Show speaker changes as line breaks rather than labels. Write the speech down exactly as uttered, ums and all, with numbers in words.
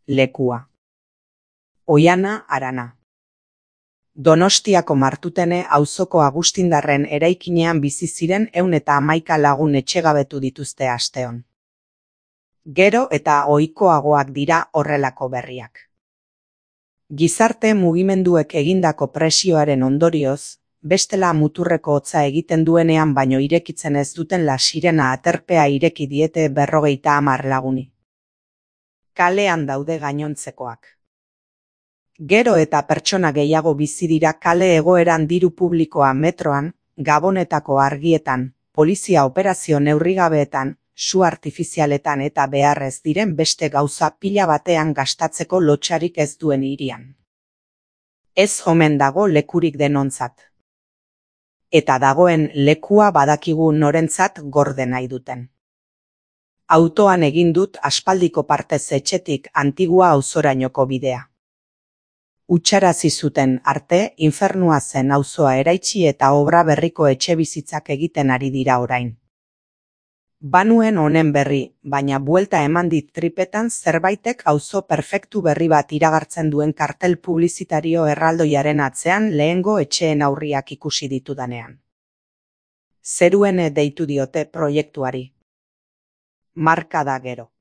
lekua. Oiana Arana. Donostiako Martutene auzoko Agustindarren eraikinean bizi ziren ehun eta hamaika lagun etxegabetu dituzte asteon. Gero eta ohikoagoak dira horrelako berriak. Gizarte mugimenduek egindako presioaren ondorioz, bestela muturreko hotza egiten duenean baino irekitzen ez duten La Sirena aterpea ireki diete berrogeita hamar laguni. Kalean daude gainontzekoak. Gero eta pertsona gehiago bizi dira kale egoeran diru publikoa metroan, Gabonetako argietan, polizia operazio neurrigabeetan, su artifizialetan eta beharrez diren beste gauza pila batean gastatzeko lotsarik ez duen hirian. Ez omen dago lekurik denontzat. Eta dagoen lekua badakigu norentzat gorde nahi duten. Autoan egin dut aspaldiko partez etxetik Antigua auzorainoko bidea. Hutsarazi zuten arte infernua zen auzoa eraitsi eta obra berriko etxebizitzak egiten ari dira orain. Banuen honen berri, baina buelta eman dit tripetan zerbaitek auzo perfektu berri bat iragartzen duen kartel publizitario erraldoiaren atzean lehengo etxeen aurriak ikusi ditudanean. Zeruene deitu diote proiektuari. Marka da gero.